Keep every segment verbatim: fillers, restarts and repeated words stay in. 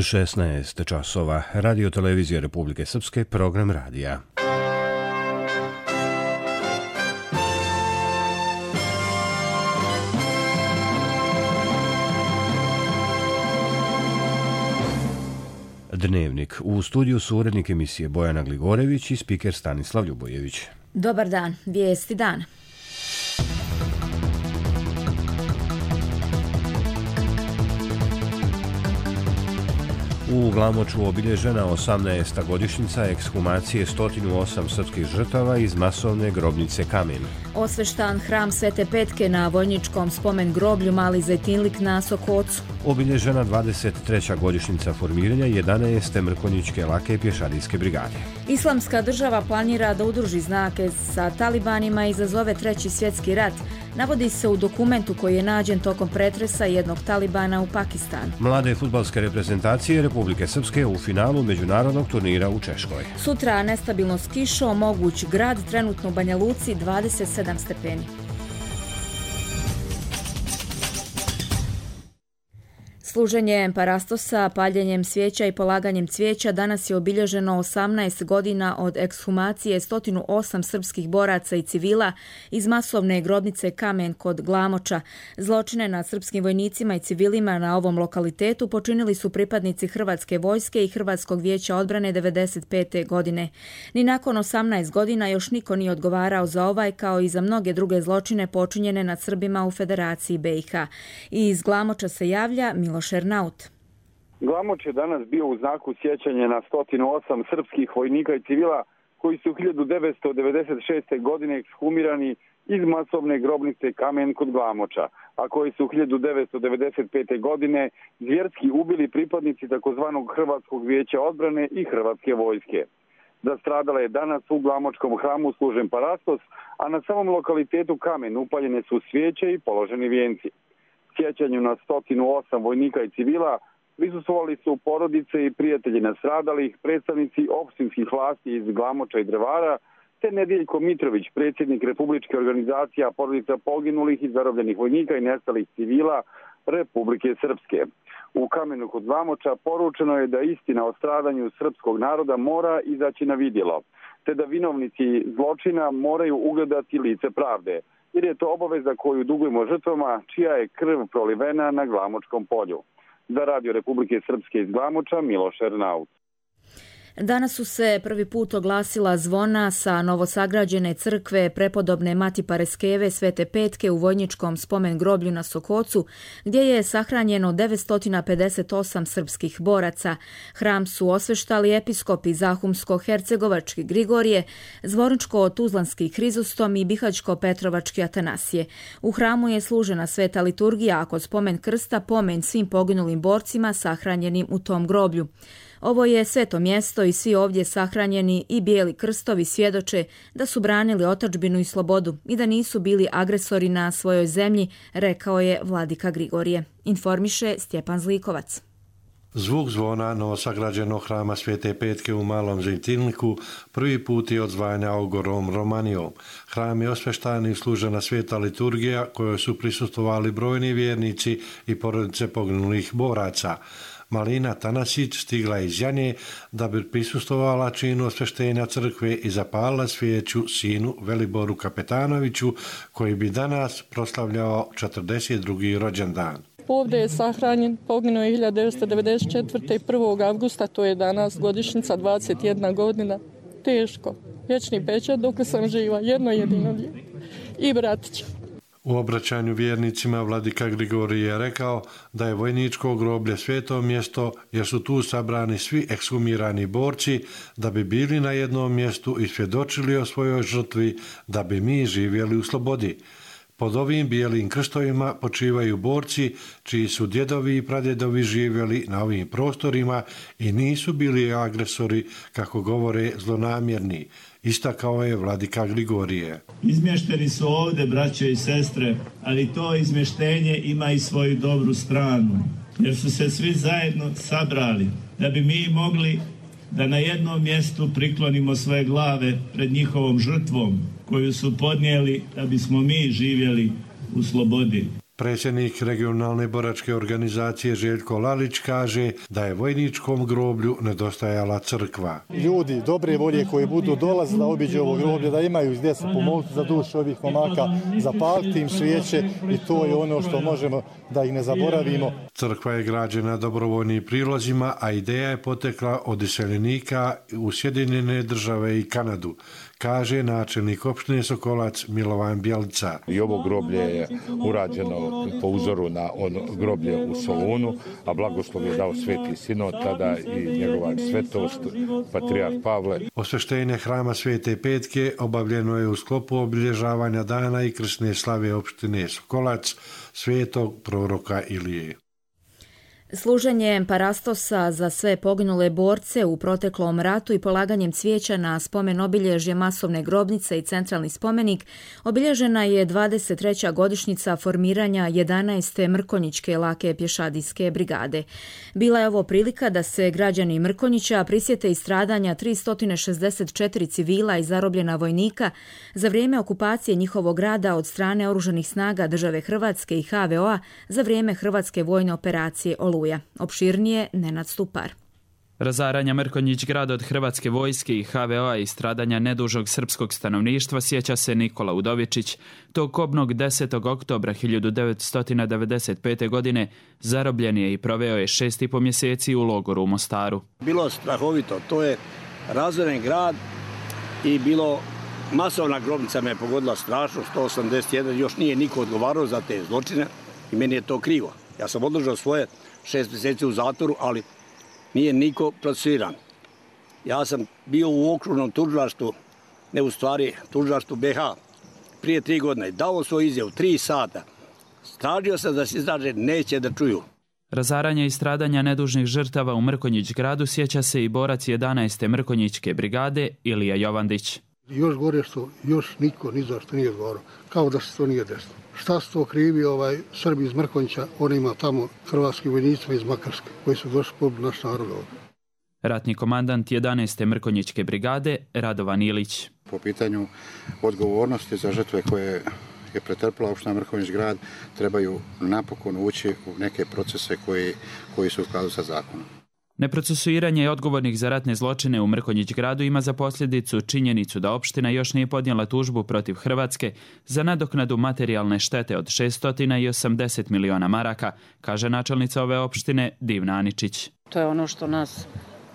šesnaest časova. Radio televizija Republike Srpske, program radija. Dnevnik. U studiju su urednik emisije Bojana Gligorević i spiker Stanislav Ljubojević. Dobar dan. Vijesti dana. U Glamoču obilježena osamnaesta godišnjica ekshumacije sto osam srpskih žrtava iz masovne grobnice Kamen. Osveštan hram Svete Petke na vojničkom spomen groblju Mali Zejtinlik na Sokocu. Obilježena dvadeset treća godišnjica formiranja jedanaeste mrkonjićke lake pješadijske brigade. Islamska država planira da udruži znake sa talibanima i izazove treći svjetski rat. Navodi se u dokumentu koji je nađen tokom pretresa jednog talibana u Pakistanu. Mlade fudbalske reprezentacije Republike Srpske u finalu međunarodnog turnira u Češkoj. Sutra nestabilno s kišom, moguć grad, trenutno u Banja Luci dvadeset sedam stepeni. Služenjem parastosa, paljenjem svijeća i polaganjem cvijeća danas je obilježeno osamnaest godina od ekshumacije sto osam srpskih boraca i civila iz masovne grobnice Kamen kod Glamoča. Zločine nad srpskim vojnicima i civilima na ovom lokalitetu počinili su pripadnici Hrvatske vojske i Hrvatskog vijeća odbrane devedeset pete godine. Ni nakon osamnaest godina još niko nije odgovarao za ovaj kao i za mnoge druge zločine počinjene nad Srbima u Federaciji B i H. I iz Glamoča se javlja Miloš Ernaut. Glamoč je danas bio u znaku sjećanja na sto osam srpskih vojnika i civila koji su hiljadu devetsto devedeset šeste. godine ekshumirani iz masovne grobnice Kamen kod Glamoča, a koji su hiljadu devetsto devedeset pete. godine zvjerski ubili pripadnici takozvanog Hrvatskog vijeća odbrane i Hrvatske vojske. Za stradala je danas u Glamočkom hramu služen parastos, a na samom lokalitetu Kamen upaljene su svijeće i položeni vijenci. Sjećanju na sto osam vojnika i civila prisustvovali su porodice i prijatelji nastradalih, predstavnici opštinskih vlasti iz Glamoča i Drvara, te Nediljko Mitrović, predsjednik Republičke organizacija porodica poginulih i zarobljenih vojnika i nestalih civila Republike Srpske. U Kamenu kod Glamoča poručeno je da istina o stradanju srpskog naroda mora izaći na vidjelo, te da vinovnici zločina moraju ugledati lice pravde, jer je to obaveza koju dugujemo žrtvama čija je krv prolivena na Glamočkom polju. Za Radio Republike Srpske iz Glamoča, Miloš Ernaut. Danas su se prvi put oglasila zvona sa novosagrađene crkve prepodobne Mati Pareskeve Svete Petke u vojničkom spomen groblju na Sokocu, gdje je sahranjeno devetsto pedeset osam srpskih boraca. Hram su osveštali episkopi Zahumsko-hercegovački Grigorije, Zvorničko-tuzlanski Hrizostom i Bihaćko-petrovački Atanasije. U hramu je služena sveta liturgija, a kod spomen krsta pomen svim poginulim borcima sahranjenim u tom groblju. Ovo je sveto mjesto i svi ovdje sahranjeni i bijeli krstovi svjedoče da su branili otadžbinu i slobodu i da nisu bili agresori na svojoj zemlji, rekao je vladika Grigorije. Informiše Stjepan Zlikovac. Zvuk zvona novosagrađenog hrama Svete Petke u Malom Zejtinliku prvi put je odzvanja ogorom Romanijom. Hram je osveštan i služena sveta liturgija kojoj su prisustvovali brojni vjernici i porodice poginulih boraca. Malina Tanasić stigla iz Janje da bi prisustvovala činu osveštenja crkve i zapalila svijeću sinu Veliboru Kapetanoviću, koji bi danas proslavljao četrdeset drugi rođendan. Ovdje je sahranjen, poginuo je hiljadu devetsto devedeset četvrte. prvog avgusta, to je danas godišnjica, dvadeset jedna godina. Teško, vječni pečat dok sam živa, jedno jedino dijete i bratića. U obraćanju vjernicima vladika Grigorije je rekao da je vojničko groblje sveto mjesto jer su tu sabrani svi ekshumirani borci da bi bili na jednom mjestu i svjedočili o svojoj žrtvi da bi mi živjeli u slobodi. Pod ovim bijelim krstovima počivaju borci čiji su djedovi i pradjedovi živjeli na ovim prostorima i nisu bili agresori, kako govore zlonamjerni, istakao je vladika Grigorije. Izmješteni su ovdje, braćo i sestre, ali to izmještenje ima i svoju dobru stranu, jer su se svi zajedno sabrali da bi mi mogli da na jednom mjestu priklonimo svoje glave pred njihovom žrtvom koju su podnijeli da bismo mi živjeli u slobodi. Predsjednik regionalne boračke organizacije Željko Lalić kaže da je vojničkom groblju nedostajala crkva. Ljudi dobre volje koji budu dolazili da obiđu ovo groblje, da imaju gdje se pomoliti za dušu ovih momaka, zapaliti im svijeće i to je ono što možemo da ih ne zaboravimo. Crkva je građena dobrovoljnim prilozima, a ideja je potekla od iseljenika u Sjedinjene Države i Kanadu, kaže načelnik opštine Sokolac Milovan Bjelica. I ovo groblje je urađeno po uzoru na ono groblje u Solunu, a blagoslov je dao Sveti Sinod, tada i njegova svetost, patrijarh Pavle. Osveštenje hrama Svete Petke obavljeno je u sklopu obilježavanja dana i krsne slave opštine Sokolac, svetog proroka Ilije. Služenjem parastosa za sve poginule borce u proteklom ratu i polaganjem cvijeća na spomen obilježje masovne grobnice i centralni spomenik obilježena je dvadeset treća godišnjica formiranja jedanaeste Mrkonjićke lake pješadijske brigade. Bila je ovo prilika da se građani Mrkonjića prisjete i stradanja tristo šezdeset četiri civila i zarobljena vojnika za vrijeme okupacije njihovog grada od strane oružanih snaga države Hrvatske i ha ve o a za vrijeme Hrvatske vojne operacije Oluja. Opširnije Nenad Stupar. Razaranja Mrkonjić grada od Hrvatske vojske i ha ve o a i stradanja nedužog srpskog stanovništva sjeća se Nikola Udovičić. Tog kobnog desetog oktobra hiljadu devetsto devedeset pete. godine zarobljen je i proveo je šest i po mjeseci u logoru u Mostaru. Bilo strahovito, to je razoren grad i bilo masovna grobnica me je pogodila strašno, sto osamdeset jedan, još nije niko odgovarao za te zločine i meni je to krivo. Ja sam održao svoje šest mjeseci u zatvoru, ali nije niko procesuiran. Ja sam bio u okružnom tužilaštvu, ne u stvari tužilaštvu be ha, prije tri godine. Dao svoj izjavu, tri sata. Tražio sam da se izraže, neće da čuju. Razaranja i stradanja nedužnih žrtava u Mrkonjić gradu sjeća se i borac jedanaeste Mrkonjićke brigade Ilija Jovandić. Još gore što još niko ni za što nije odgovarao, kao da se to nije desilo. Šta su to krivi ovaj Srbi iz Mrkonjića, oni ima tamo hrvatski vojnicima iz Makarske koji su došli pobili naš narod ovdje. Ratni komandant jedanaeste Mrkonjićke brigade Radovan Ilić. Po pitanju odgovornosti za žrtve koje je pretrpila opština Mrkonjić grad trebaju napokon ući u neke procese koji, koji su u skladu sa zakonom. Neprocesuiranje odgovornih za ratne zločine u Mrkonjić gradu ima za posljedicu činjenicu da opština još nije podnijela tužbu protiv Hrvatske za nadoknadu materijalne štete od šesto osamdeset miliona maraka, kaže načelnica ove opštine Divna Aničić. To je ono što nas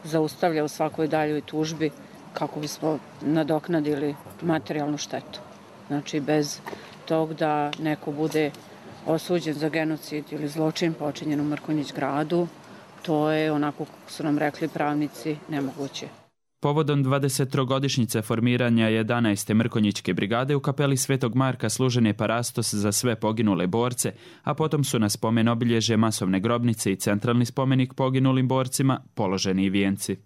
zaustavlja u svakoj daljoj tužbi kako bismo nadoknadili materijalnu štetu. Znači bez tog da neko bude osuđen za genocid ili zločin počinjen u Mrkonjić gradu, to je, onako kako su nam rekli pravnici, nemoguće. Povodom dvadesetogodišnjice formiranja jedanaeste Mrkonjićke brigade u kapeli Svetog Marka služen je parastos za sve poginule borce, a potom su na spomen obilježje masovne grobnice i centralni spomenik poginulim borcima položeni i vijenci.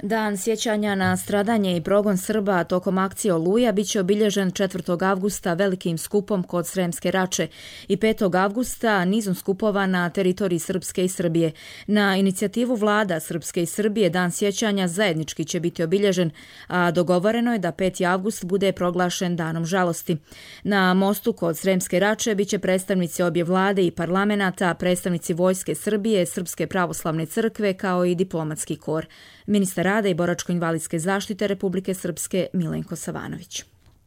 Dan sjećanja na stradanje i progon Srba tokom akcije Oluja biće obilježen četvrtog avgusta velikim skupom kod Sremske Rače i petog avgusta nizom skupova na teritoriji Srpske i Srbije. Na inicijativu vlada Srpske i Srbije dan sjećanja zajednički će biti obilježen, a dogovoreno je da peti avgust bude proglašen danom žalosti. Na mostu kod Sremske Rače biće predstavnici obje vlade i parlamenta, predstavnici Vojske Srbije, Srpske pravoslavne crkve kao i diplomatski kor. Ministar rada i boračko-invalidske zaštite Republike Srpske Milenko Savanović.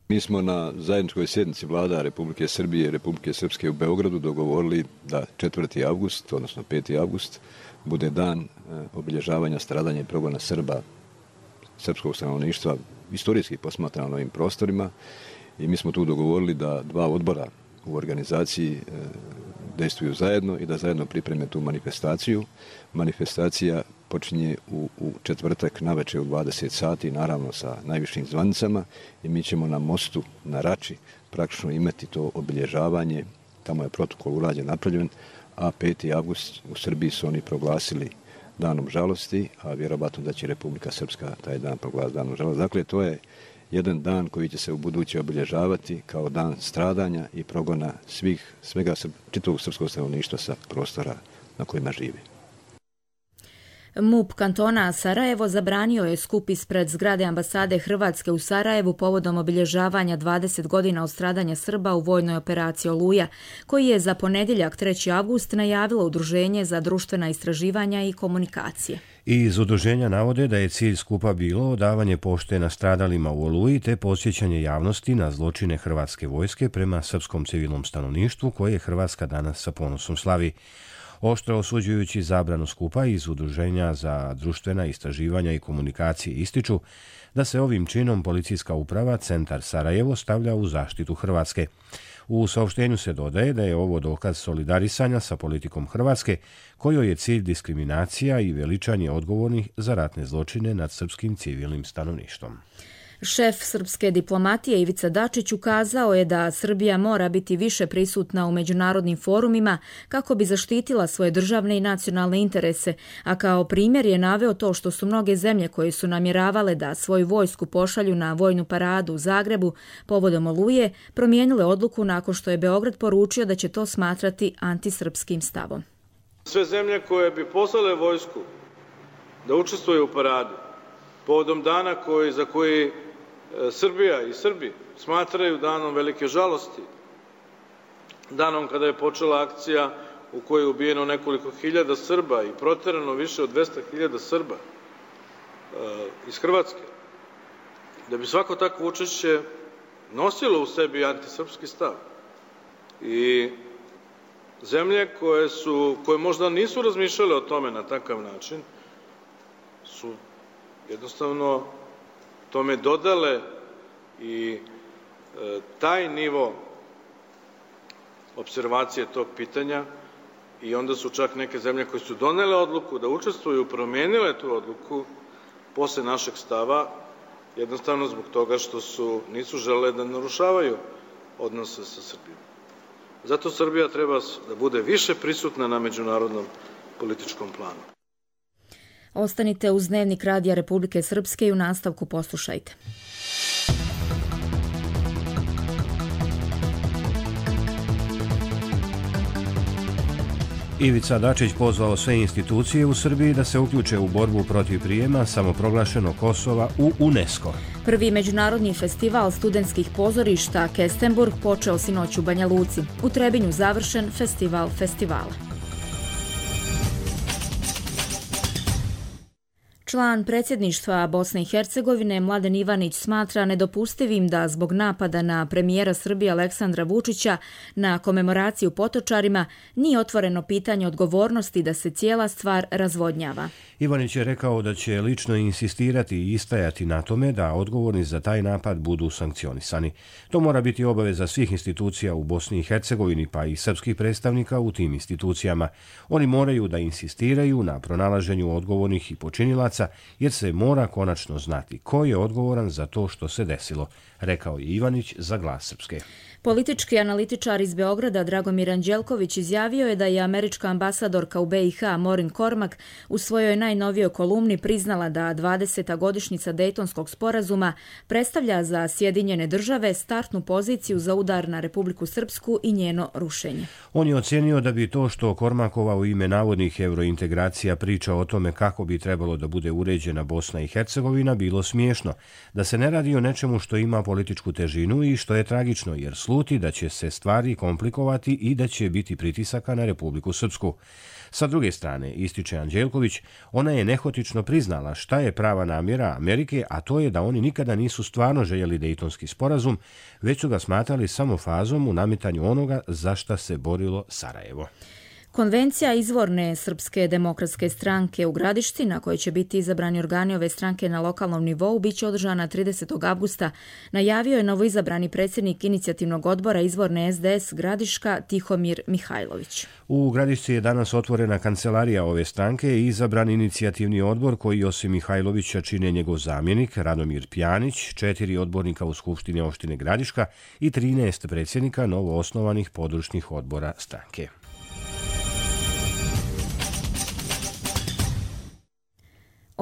Mi smo na zajedničkoj sjednici vlada Republike Srbije i Republike Srpske u Beogradu dogovorili da četvrti avgust, odnosno peti avgust, bude dan obilježavanja stradanja i progona Srba, srpskog stanovništva, istorijski posmatrano na ovim prostorima, i mi smo tu dogovorili da dva odbora u organizaciji dejstvuju zajedno i da zajedno pripreme tu manifestaciju. Manifestacija počinje u, u četvrtak navečer u dvadeset sati, naravno sa najvišim zvanicama, i mi ćemo na mostu, na Rači, praktično imati to obilježavanje. Tamo je protokol urađen, napravljen, a peti avgust u Srbiji su oni proglasili danom žalosti, a vjerovatno da će Republika Srpska taj dan proglasiti danom žalosti. Dakle, to je jedan dan koji će se u buduće obilježavati kao dan stradanja i progona svih, svega čitavog srpskog stanovništva sa prostora na kojima živi. M U P kantona Sarajevo zabranio je skup ispred zgrade ambasade Hrvatske u Sarajevu povodom obilježavanja dvadeset godina od stradanja Srba u vojnoj operaciji Oluja, koji je za ponedjeljak treći avgust najavilo Udruženje za društvena istraživanja i komunikacije. Iz udruženja navode da je cilj skupa bilo odavanje pošte nastradalima u Oluji te podsjećanje javnosti na zločine hrvatske vojske prema srpskom civilnom stanovništvu koje Hrvatska danas sa ponosom slavi. Oštro osuđujući zabranu skupa iz Udruženja za društvena istraživanja i komunikacije ističu da se ovim činom policijska uprava Centar Sarajevo stavlja u zaštitu Hrvatske. U saopštenju se dodaje da je ovo dokaz solidarisanja sa politikom Hrvatske, kojoj je cilj diskriminacija i veličanje odgovornih za ratne zločine nad srpskim civilnim stanovništvom. Šef srpske diplomatije Ivica Dačić ukazao je da Srbija mora biti više prisutna u međunarodnim forumima kako bi zaštitila svoje državne i nacionalne interese, a kao primjer je naveo to što su mnoge zemlje koje su namjeravale da svoju vojsku pošalju na vojnu paradu u Zagrebu povodom Oluje promijenile odluku nakon što je Beograd poručio da će to smatrati antisrpskim stavom. Sve zemlje koje bi poslale vojsku da učestvuje u paradu povodom dana koji, za koji Srbija i Srbi smatraju danom velike žalosti, danom kada je počela akcija u kojoj je ubijeno nekoliko hiljada Srba i proterano više od dvesta hiljada Srba iz Hrvatske, da bi svako takvo učešće nosilo u sebi antisrpski stav. I zemlje koje, su, koje možda nisu razmišljale o tome na takav način su jednostavno tome dodale i e, taj nivo observacije tog pitanja i onda su čak neke zemlje koje su donele odluku da učestvuju, promijenile tu odluku posle našeg stava, jednostavno zbog toga što su, nisu želele da narušavaju odnose sa Srbijom. Zato Srbija treba da bude više prisutna na međunarodnom političkom planu. Ostanite uz Dnevnik Radija Republike Srpske i u nastavku poslušajte. Ivica Dačić pozvao sve institucije u Srbiji da se uključe u borbu protiv prijema samoproglašenog Kosova u UNESCO. Prvi međunarodni festival studentskih pozorišta Kestenburg počeo sinoć u Banja Luci. U Trebinju završen festival festivala. Član predsjedništva Bosne i Hercegovine Mladen Ivanić smatra nedopustivim da zbog napada na premijera Srbije Aleksandra Vučića na komemoraciju Potočarima nije otvoreno pitanje odgovornosti da se cijela stvar razvodnjava. Ivanić je rekao da će lično insistirati i istajati na tome da odgovorni za taj napad budu sankcionisani. To mora biti obaveza svih institucija u Bosni i Hercegovini pa i srpskih predstavnika u tim institucijama. Oni moraju da insistiraju na pronalaženju odgovornih i počinilaca jer se mora konačno znati ko je odgovoran za to što se desilo, rekao je Ivanić za Glas Srpske. Politički analitičar iz Beograda Dragomir Anđelković izjavio je da je američka ambasadorka u B i H Maureen Cormack u svojoj najnovijoj kolumni priznala da dvadeseta godišnjica Dejtonskog sporazuma predstavlja za Sjedinjene države startnu poziciju za udar na Republiku Srpsku i njeno rušenje. On je ocjenio da bi to što Kormakova u ime navodnih eurointegracija priča o tome kako bi trebalo da bude uređena Bosna i Hercegovina bilo smiješno, da se ne radi o nečemu što ima političku težinu i što je tragično jer sluti da će se stvari komplikovati i da će biti pritisaka na Republiku Srpsku. Sa druge strane, ističe Anđelković, ona je nehotično priznala šta je prava namjera Amerike, a to je da oni nikada nisu stvarno željeli Dejtonski sporazum, već su ga smatrali samo fazom u nametanju onoga za šta se borilo Sarajevo. Konvencija izvorne Srpske demokratske stranke u Gradišci, na kojoj će biti izabrani organi ove stranke na lokalnom nivou, biće održana tridesetog avgusta, najavio je novoizabrani predsjednik inicijativnog odbora izvorne S D S Gradiška Tihomir Mihajlović. U Gradišci je danas otvorena kancelarija ove stranke i izabran inicijativni odbor koji osim Mihajlovića čine njegov zamjenik Radomir Pjanić, četiri odbornika u Skupštini opštine Gradiška i trinaest predsjednika novoosnovanih područnih odbora stranke.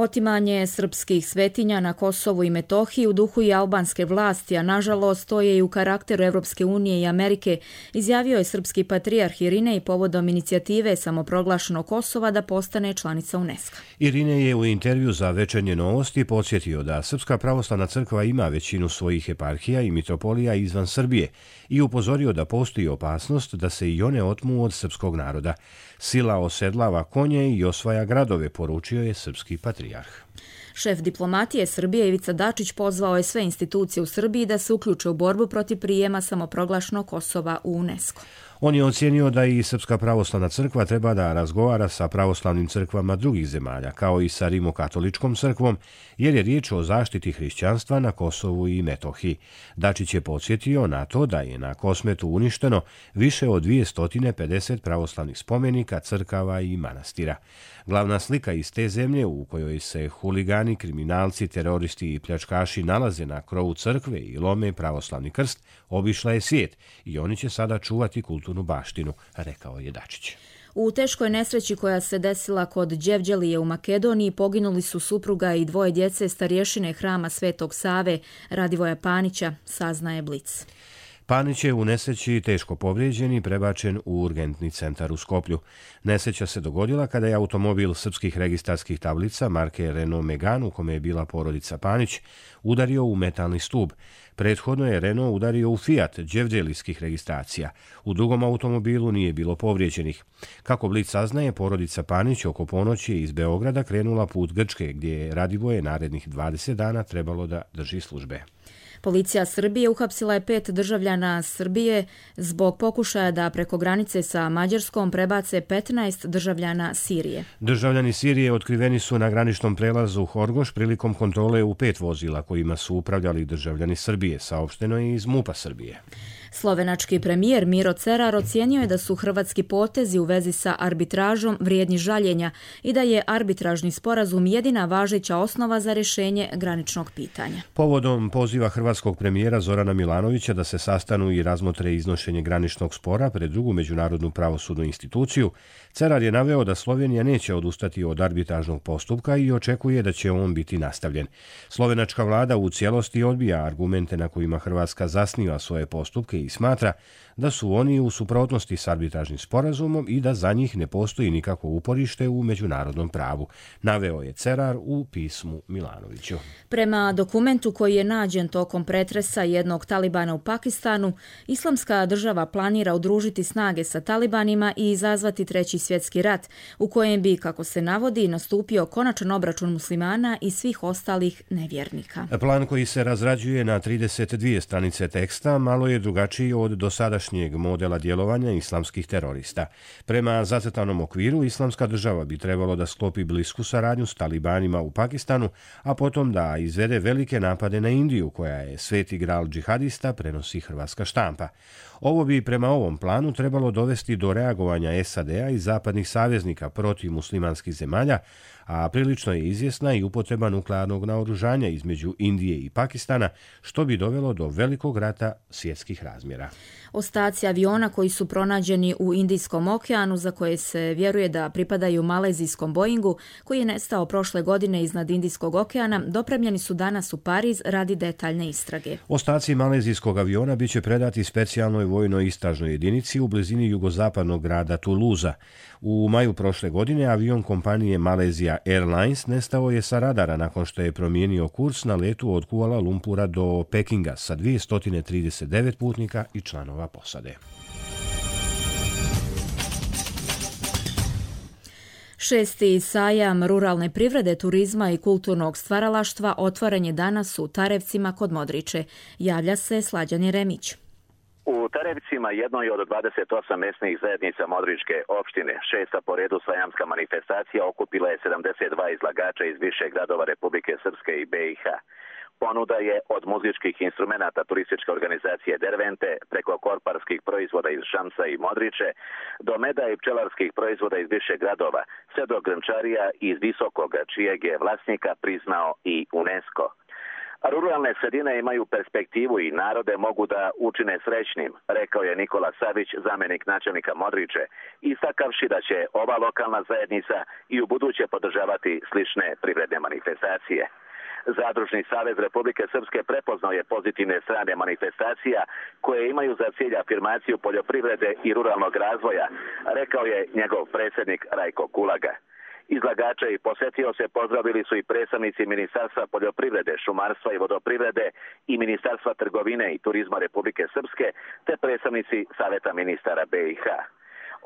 Otimanje srpskih svetinja na Kosovu i Metohiji u duhu i albanske vlasti, a nažalost to je i u karakteru Evropske unije i Amerike, izjavio je srpski patrijarh Irinej povodom inicijative samoproglašenog Kosova da postane članica UNESCO. Irinej je u intervju za Večernje novosti podsjetio da Srpska pravoslavna crkva ima većinu svojih eparhija i mitropolija izvan Srbije i upozorio da postoji opasnost da se i one otmu od srpskog naroda. Sila osedlava konje i osvaja gradove, poručio je srpski patrijarh. Šef diplomatije Srbije Ivica Dačić pozvao je sve institucije u Srbiji da se uključe u borbu protiv prijema samoproglašenog Kosova u UNESCO. On je ocijenio da i Srpska pravoslavna crkva treba da razgovara sa pravoslavnim crkvama drugih zemalja, kao i sa Rimokatoličkom crkvom, jer je riječ o zaštiti hrišćanstva na Kosovu i Metohiji. Dačić je podsjetio na to da je na Kosmetu uništeno više od dvjesto pedeset pravoslavnih spomenika, crkava i manastira. Glavna slika iz te zemlje u kojoj se huligani, kriminalci, teroristi i pljačkaši nalaze na krovu crkve i lome pravoslavni krst, obišla je svijet i oni će sada čuvati kulturnu baštinu, rekao je Dačić. U teškoj nesreći koja se desila kod Đevđelije u Makedoniji poginuli su supruga i dvoje djece starješine hrama Svetog Save Radivoja Panića, saznaje Blic. Panić je u nesreći teško povrijeđen i prebačen u urgentni centar u Skoplju. Nesreća se dogodila kada je automobil srpskih registarskih tablica marke Renault Megane, u kome je bila porodica Panić, udario u metalni stub. Prethodno je Renault udario u Fiat đevđelijskih registracija. U drugom automobilu nije bilo povrijeđenih. Kako Blic saznaje, porodica Panić oko ponoći je iz Beograda krenula put Grčke, gdje je Radivoje narednih dvadeset dana trebalo da drži službe. Policija Srbije uhapsila je pet državljana Srbije zbog pokušaja da preko granice sa Mađarskom prebace petnaest državljana Sirije. Državljani Sirije otkriveni su na graničnom prelazu Horgoš prilikom kontrole u pet vozila kojima su upravljali državljani Srbije, saopšteno je iz MUP-a Srbije. Slovenački premijer Miro Cerar ocijenio je da su hrvatski potezi u vezi sa arbitražom vrijedni žaljenja i da je arbitražni sporazum jedina važeća osnova za rješenje graničnog pitanja. Povodom poziva hrvatskog premijera Zorana Milanovića da se sastanu i razmotre iznošenje graničnog spora pred drugu međunarodnu pravosudnu instituciju, Cerar je naveo da Slovenija neće odustati od arbitražnog postupka i očekuje da će on biti nastavljen. Slovenačka vlada u cijelosti odbija argumente na kojima Hrvatska zasniva svoje postupke i smatra da su oni u suprotnosti s arbitražnim sporazumom i da za njih ne postoji nikakvo uporište u međunarodnom pravu, naveo je Cerar u pismu Milanoviću. Prema dokumentu koji je nađen tokom pretresa jednog talibana u Pakistanu, Islamska država planira udružiti snage sa talibanima i izazvati treći svjetski rat, u kojem bi, kako se navodi, nastupio konačan obračun muslimana i svih ostalih nevjernika. Plan koji se razrađuje na trideset dvije stranice teksta malo je drugačiji od dosadašnjeg modela djelovanja islamskih terorista. Prema zacrtanom okviru, Islamska država bi trebalo da sklopi blisku saradnju s talibanima u Pakistanu, a potom da izvede velike napade na Indiju, koja je sveti gral džihadista, prenosi hrvatska štampa. Ovo bi prema ovom planu trebalo dovesti do reagovanja S A D-a i zapadnih saveznika protiv muslimanskih zemalja, a prilično je izvjesna i upotreba nuklearnog naoružanja između Indije i Pakistana, što bi dovelo do velikog rata svjetskih razmjera. Ostaci aviona koji su pronađeni u Indijskom okeanu, za koje se vjeruje da pripadaju malezijskom Boeingu, koji je nestao prošle godine iznad Indijskog okeana, dopremljeni su danas u Pariz radi detaljne istrage. Ostaci malezijskog aviona biće predati specijalnoj vojnoj istražnoj jedinici u blizini jugozapadnog grada Toulouse. U maju prošle godine avion kompanije Malaysia Airlines nestao je sa radara nakon što je promijenio kurs na letu od Kuala Lumpura do Pekinga sa dvjesto trideset devet putnika i članova posade. Šesti sajam ruralne privrede, turizma i kulturnog stvaralaštva otvoren je danas u Tarevcima kod Modriče. Javlja se Slađan Jeremić. U Tarevcima, jednoj od dvadeset osam mesnih zajednica Modričke opštine, šesta po redu sajamska manifestacija okupila je sedamdeset dva izlagača iz više gradova Republike Srpske i B i H. Ponuda je od muzičkih instrumenata turističke organizacije Dervente, preko korparskih proizvoda iz Šamsa i Modriče, do meda i pčelarskih proizvoda iz više gradova, sve do grnčarija iz Visokoga, čijeg je vlasnika priznao i UNESCO. Ruralne sredine imaju perspektivu i narode mogu da učine srećnim, rekao je Nikola Savić, zamjenik načelnika Modriče, istakavši da će ova lokalna zajednica i u buduće podržavati slične privredne manifestacije. Zadružni savez Republike Srpske prepoznao je pozitivne strane manifestacija koje imaju za cilj afirmaciju poljoprivrede i ruralnog razvoja, rekao je njegov predsjednik Rajko Kulaga. Izlagače i posjetioce pozdravili su i predstavnici Ministarstva poljoprivrede, šumarstva i vodoprivrede i Ministarstva trgovine i turizma Republike Srpske te predstavnici Saveta ministara B i H.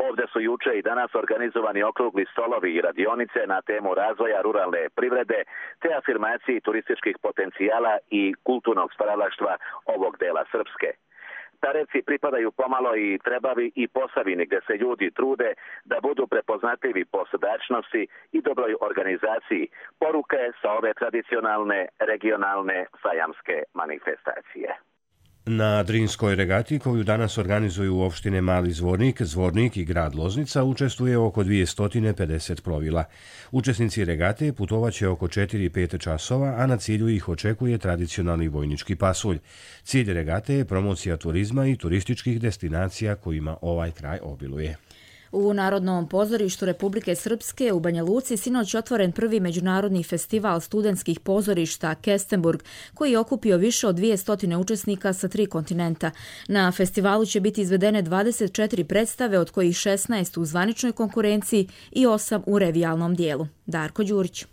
Ovdje su juče i danas organizovani okrugli stolovi i radionice na temu razvoja ruralne privrede te afirmaciji turističkih potencijala i kulturnog stvaralaštva ovog dela Srpske. Tareci pripadaju pomalo i Trebavi i Posavini gdje se ljudi trude da budu prepoznatljivi po srdačnosti i dobroj organizaciji, poruke sa ove tradicionalne regionalne sajamske manifestacije. Na Drinskoj regati, koju danas organizuju opštine Mali Zvornik, Zvornik i grad Loznica, učestvuje oko dvjesto pedeset plovila. Učesnici regate putovaće oko četiri do pet časova, a na cilju ih očekuje tradicionalni vojnički pasulj. Cilj regate je promocija turizma i turističkih destinacija kojima ovaj kraj obiluje. U Narodnom pozorištu Republike Srpske u Banja Luci sinoć otvoren prvi međunarodni festival studentskih pozorišta Kestenburg, koji je okupio više od dvjesto učesnika sa tri kontinenta. Na festivalu će biti izvedene dvadeset četiri predstave, od kojih šesnaest u zvaničnoj konkurenciji i osam u revijalnom dijelu. Darko Đurić.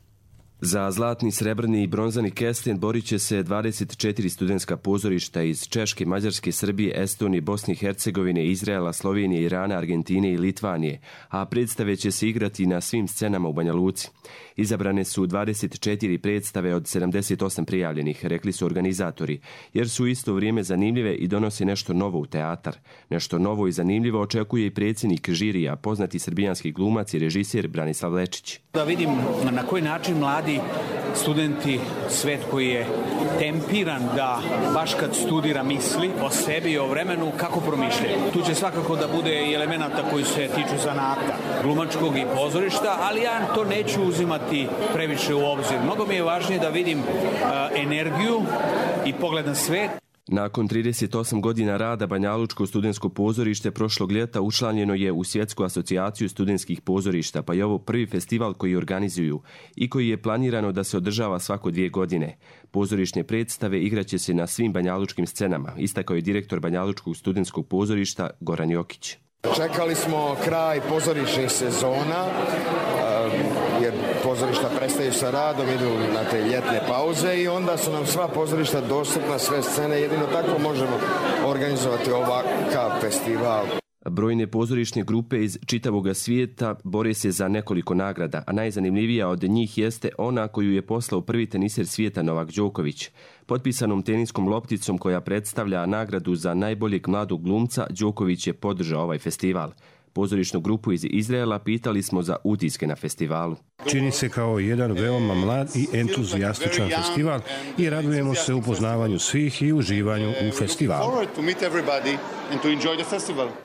Za zlatni, srebrni i bronzani kesten borit će se dvadeset četiri studentska pozorišta iz Češke, Mađarske, Srbije, Estonije, Bosne i Hercegovine, Izraela, Slovenije, Irana, Argentine i Litvanije, a predstave će se igrati na svim scenama u Banja Luci. Izabrane su dvadeset četiri predstave od sedamdeset osam prijavljenih, rekli su organizatori, jer su isto vrijeme zanimljive i donose nešto novo u teatar. Nešto novo i zanimljivo očekuje i predsjednik žirija, poznati srbijanski glumac i režiser Branislav Lečić. Da vidim na koji način mladi studenti, svet koji je tempiran da baš kad studira misli o sebi i o vremenu, kako promišljaju. Tu će svakako da bude i elemenata koji se tiču zanata, glumačkog i pozorišta, ali ja to neću uzimati previše u obzir. Mnogo mi je važnije da vidim uh, energiju i pogled na svet. Nakon trideset osam godina rada Banjalučko studentsko pozorište prošlog ljeta učlanjeno je u Svjetsku asocijaciju studentskih pozorišta, pa je ovo prvi festival koji organizuju i koji je planirano da se održava svako dvije godine. Pozorišne predstave igraće se na svim banjalučkim scenama, istakao je direktor Banjalučkog studentskog pozorišta Goran Jokić. Čekali smo kraj pozorišnih sezona, jer pozorišta prestaju sa radom, idu na te ljetne pauze i onda su nam sva pozorišta dostupna, sve scene, jedino tako možemo organizovati ovakav festival. Brojne pozorišne grupe iz čitavog svijeta bore se za nekoliko nagrada, a najzanimljivija od njih jeste ona koju je poslao prvi teniser svijeta Novak Đoković. Potpisanom teniskom lopticom koja predstavlja nagradu za najboljeg mladog glumca, Đoković je podržao ovaj festival. Pozorišnu grupu iz Izraela pitali smo za utiske na festivalu. Čini se kao jedan veoma mlad i entuzijastičan festival i radujemo se upoznavanju svih i uživanju u festivalu.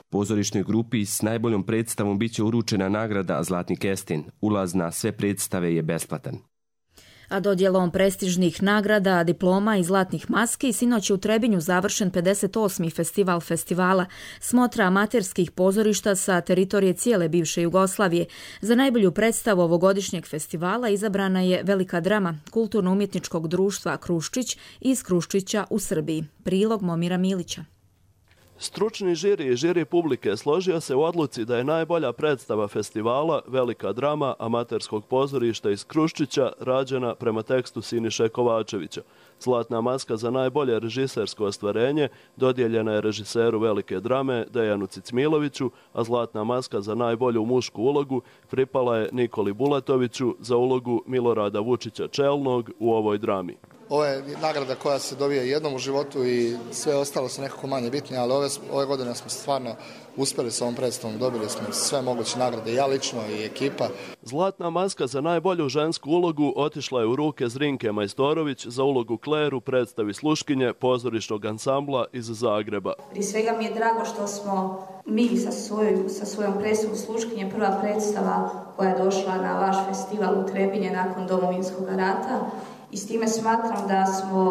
Pozorišnoj grupi s najboljom predstavom biće uručena nagrada Zlatni kesten. Ulaz na sve predstave je besplatan. A dodjelom prestižnih nagrada, diploma i zlatnih maski sinoć je u Trebinju završen pedeset osmi festival festivala Smotra amaterskih pozorišta sa teritorije cijele bivše Jugoslavije. Za najbolju predstavu ovogodišnjeg festivala izabrana je velika drama Kulturno-umjetničkog društva Kruščić iz Kruščića u Srbiji. Prilog Momira Milića. Stručni žiri i žiri publike složio se u odluci da je najbolja predstava festivala velika drama amaterskog pozorišta iz Kruščića rađena prema tekstu Siniše Kovačevića. Zlatna maska za najbolje režisersko ostvarenje dodijeljena je režiseru velike drame Dejanu Cicmiloviću, a zlatna maska za najbolju mušku ulogu pripala je Nikoli Bulatoviću za ulogu Milorada Vučića Čelnog u ovoj drami. Ovo je nagrada koja se dobije jednom u životu i sve ostalo su nekako manje bitne, ali ove, ove godine smo stvarno uspjeli s ovom predstavom, dobili smo sve moguće nagrade, ja lično i ekipa. Zlatna maska za najbolju žensku ulogu otišla je u ruke Zrinke Majstorović za ulogu Kleru predstavi Sluškinje pozorišnog ansambla iz Zagreba. Prije svega mi je drago što smo mi sa, svoj, sa svojom predstavom Sluškinje prva predstava koja je došla na vaš festival u Trebinje nakon Domovinskog rata. i s time smatram da smo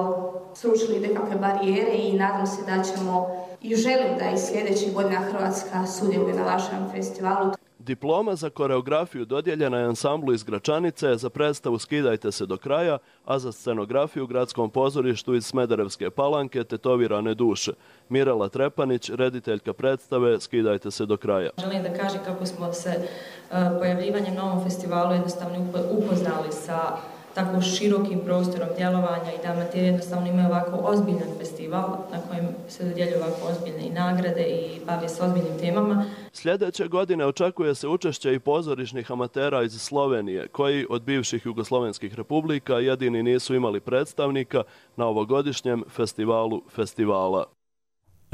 srušili nekakve barijere i nadam se da ćemo i želim da i sljedećih godina Hrvatska sudjeluje na vašem festivalu. Diploma za koreografiju dodijeljena je ansamblu iz Gračanice, za predstavu Skidajte se do kraja, a za scenografiju Gradskom pozorištu iz Smederevske Palanke Tetovirane duše. Mirela Trepanić, rediteljka predstave Skidajte se do kraja. Želim da kažem kako smo se pojavljivanjem na ovom festivalu jednostavno upoznali sa tako širokim prostorom djelovanja i da amater jednostavno imaju ovako ozbiljan festival na kojem se dodjeljuju ovako ozbiljne i nagrade i bave s ozbiljnim temama. Sljedeće godine očekuje se učešće i pozorišnih amatera iz Slovenije, koji od bivših jugoslovenskih republika jedini nisu imali predstavnika na ovogodišnjem festivalu festivala.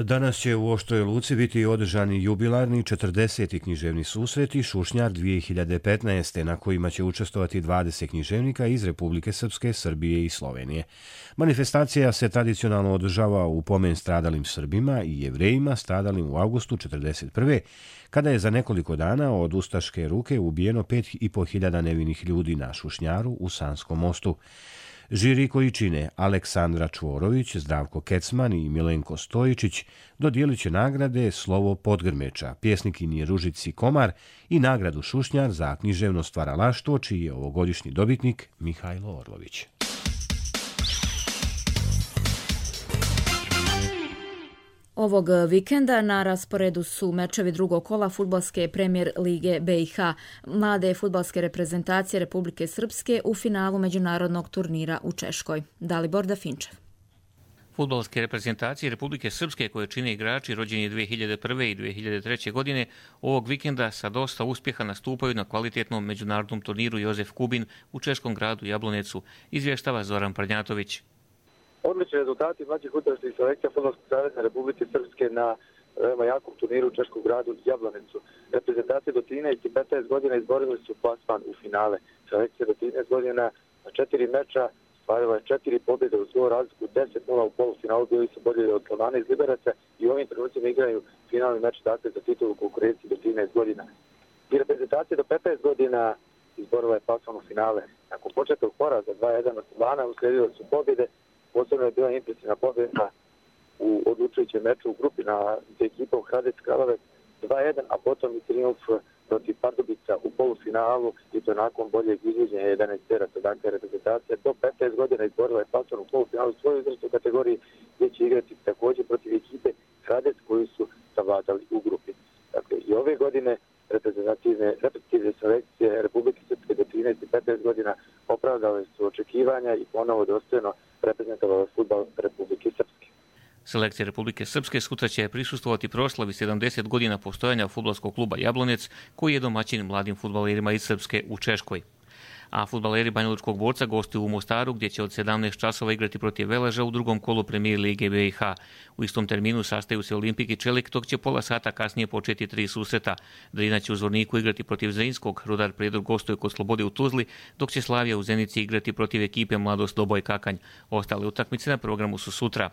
Danas će u Oštroj Luci biti održani jubilarni četrdeseti književni susreti Šušnjar dvije hiljade petnaeste. na kojima će učestvovati dvadeset književnika iz Republike Srpske, Srbije i Slovenije. Manifestacija se tradicionalno održava u pomen stradalim Srbima i Jevrejima stradalim u avgustu četrdeset prve. kada je za nekoliko dana od ustaške ruke ubijeno pet i po hiljada nevinih ljudi na Šušnjaru u Sanskom mostu. Žiri koji čine Aleksandra Čvorović, Zdravko Kecman i Milenko Stojičić dodijelit će nagrade Slovo Podgrmeča, pjesnikinji Ružici Komar i nagradu Šušnjar za književno stvaralaštvo, čiji je ovogodišnji dobitnik Mihajlo Orlović. Ovog vikenda na rasporedu su mečevi drugog kola fudbalske premijer lige B i H. Mlade fudbalske reprezentacije Republike Srpske u finalu međunarodnog turnira u Češkoj. Dalibor Dafinčev. Fudbalske reprezentacije Republike Srpske, koje čine igrači rođeni dvije hiljade prve i dvije hiljade treće. godine, ovog vikenda sa dosta uspjeha nastupaju na kvalitetnom međunarodnom turniru Jozef Kubin u češkom gradu Jablonecu, izvještava Zoran Prnjatović. Odlični rezultati mlađih utakmičnih selekcija Fudbalskog saveza Republike Srpske na veoma jakom turniru u češkom gradu Jablonecu. Reprezentacije do trinaest i petnaest godina izborili su plasman u finale. Selekcija do trinaest godina na četiri meča stvarila je četiri pobjede u svoju razliku, deset nula u polufinalu, bili su bolji od Slovana iz Liberaca i u ovim trenucima igraju finalni meč dakle za titulu konkurenciji do trinaest godina. I reprezentacije do petnaest godina izborila je plasman u finale. Nakon početnog poraza dva jedan od Slovana uslijedile su pobjede. Posebno je bila impresivna pobjeda u odlučujućem meču u grupi na ekipom Hradec Kraljevo dva jedan, a potom i triumf protiv Pardubica u polufinalu i to nakon boljeg izvođenja jedanaest teraca. Dakle, reprezentacija do petnaest godina izborila je plasman u polufinalu u svojoj uzrastnoj kategoriji, gdje će igrati također protiv ekipe Hradec koji su savladali u grupi. Dakle, i ove godine reprezentativne, reprezentativne selekcije Republike Srpske do trinaest i petnaest godina opravdale su očekivanja i ponovo dostojno reprezentovalo fudbal Republike Srpske. Selekcija Republike Srpske sutra će prisustvovati proslavi sedamdeset godina postojanja fudbalskog kluba Jablonec, koji je domaćin mladim fudbalerima iz Srpske u Češkoj. A fudbaleri Banjalučkog Borca gostuju u Mostaru, gdje će od sedamnaest časova igrati protiv Veleža u drugom kolu premijer lige B i H. U istom terminu sastaju se Olimpik i Čelik, dok će pola sata kasnije početi tri susreta. Drina će u Zvorniku igrati protiv Zrinskog, Rudar Prijedor gostuje kod Slobode u Tuzli, dok će Slavija u Zenici igrati protiv ekipe Mladost Doboj Kakanj. Ostale utakmice na programu su sutra.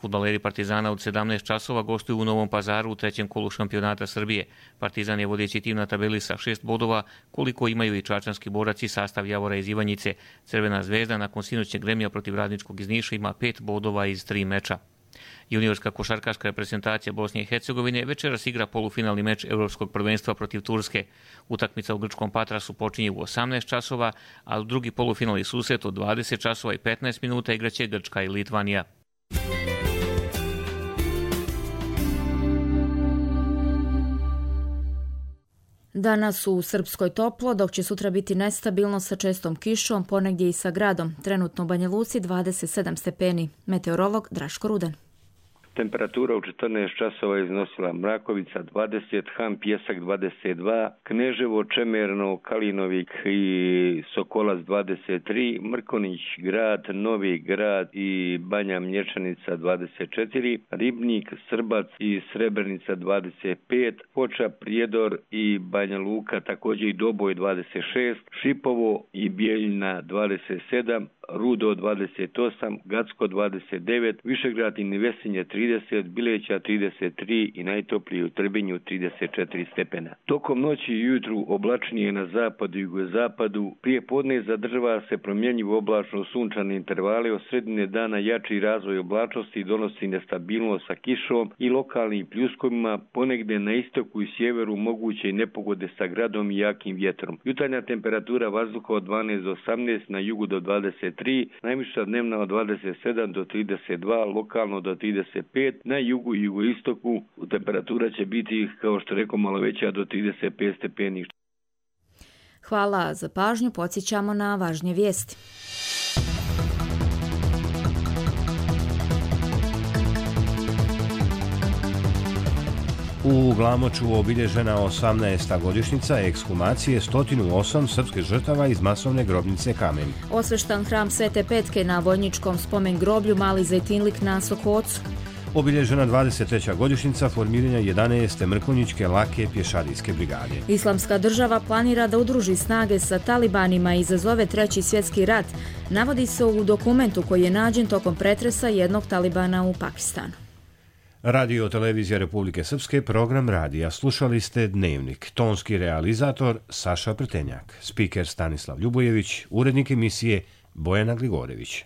Fudbaleri Partizana od sedamnaest časova gostuju u Novom Pazaru u trećem kolu šampionata Srbije. Partizan je vodeći tim na tabeli sa šest bodova, koliko imaju i čačanski borac i sastav Javora iz Ivanjice. Crvena zvezda nakon sinoćnjeg remija protiv Radničkog iz Niša ima pet bodova iz tri meča. Juniorska košarkaška reprezentacija Bosne i Hercegovine večeras igra polufinalni meč Europskog prvenstva protiv Turske. Utakmica u grčkom Patrasu počinje u osamnaest časova, a u drugi polufinalni susret od dvadeset časova i petnaest minuta igraće Grčka i Litvanija. Danas u Srpskoj toplo, dok će sutra biti nestabilno sa čestom kišom, ponegdje i sa gradom. Trenutno u Banja Luci dvadeset sedam stepeni. Meteorolog Draško Ruden. Temperatura u četrnaest časova iznosila Mrakovica dvadeset, Han Pjesak dvadeset dva, Kneževo, Čemerno, Kalinovik i Sokolac dvadeset tri, Mrkonić grad, Novi grad i Banja Mlječanica dvadeset četiri, Ribnik, Srbac i Srebrenica dvadeset pet, Foča, Prijedor i Banja Luka također i Doboj dvadeset šest, Šipovo i Bijeljina dvadeset sedam, Rudo dvadeset osam, Gacko dvadeset devet, Višegrad i Nevesinje trideset, Bileća trideset tri i najtoplije u Trebinju trideset četiri stepena. Tokom noći i jutru oblačnije na zapadu i jugozapadu, prije podne zadržava se promjenjivo oblačno sunčane intervale, od sredine dana jači razvoj oblačnosti donosi nestabilnost sa kišom i lokalnim pljuskovima, ponegde na istoku i sjeveru moguće i nepogode sa gradom i jakim vjetrom. Jutarnja temperatura vazduha od dvanaest do osamnaest, na jugu do dvadeset tri, najviša dnevna od dvadeset sedam do trideset dva, lokalno do trideset pet, na jugu i jugoistoku temperatura će biti, kao što rekao, malo veća do trideset pet stepeni. Hvala za pažnju, podsjećamo na važnije vijesti. U Glamoču obilježena osamnaesta godišnjica ekshumacije sto osam srpskih žrtava iz masovne grobnice Kamen. Osveštan hram Svete Petke na vojničkom spomen groblju Mali Zejtinlik na Sokocu. Obilježena dvadeset treća godišnjica formiranja jedanaeste Mrkonjićke lake pješadijske brigade. Islamska država planira da udruži snage sa talibanima i izazove treći svjetski rat, navodi se u dokumentu koji je nađen tokom pretresa jednog talibana u Pakistanu. Radio Televizija Republike Srpske, program radija. Slušali ste Dnevnik. Tonski realizator Saša Prtenjak, spiker Stanislav Ljubojević, urednik emisije Bojana Gligorević.